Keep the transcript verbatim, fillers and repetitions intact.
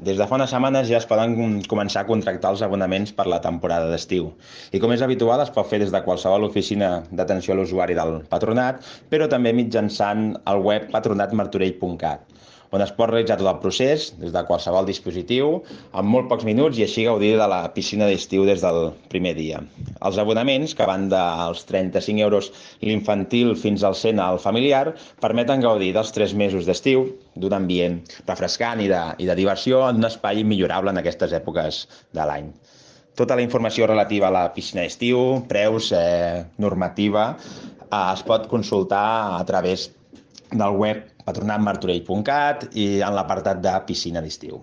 Des de fa unes setmanes ja es poden començar a contractar els abonaments per la temporada d'estiu. I com és habitual, es pot fer des de qualsevol oficina d'atenció a l'usuari del Patronat, però també mitjançant el web patronat martorell punt cat, on es pot realitzar tot el procés des de qualsevol dispositiu en molt pocs minuts i així gaudir de la piscina d'estiu des del primer dia. Els abonaments, que van dels trenta-cinc euros l'infantil fins al cent al familiar, permeten gaudir dels tres mesos d'estiu, d'un ambient refrescant i de, i de diversió en un espai immillorable en aquestes èpoques de l'any. Tota la informació relativa a la piscina d'estiu, preus, eh, normativa, eh, es pot consultar a través del web patronat martorell punt cat i en l'apartat de piscina d'estiu.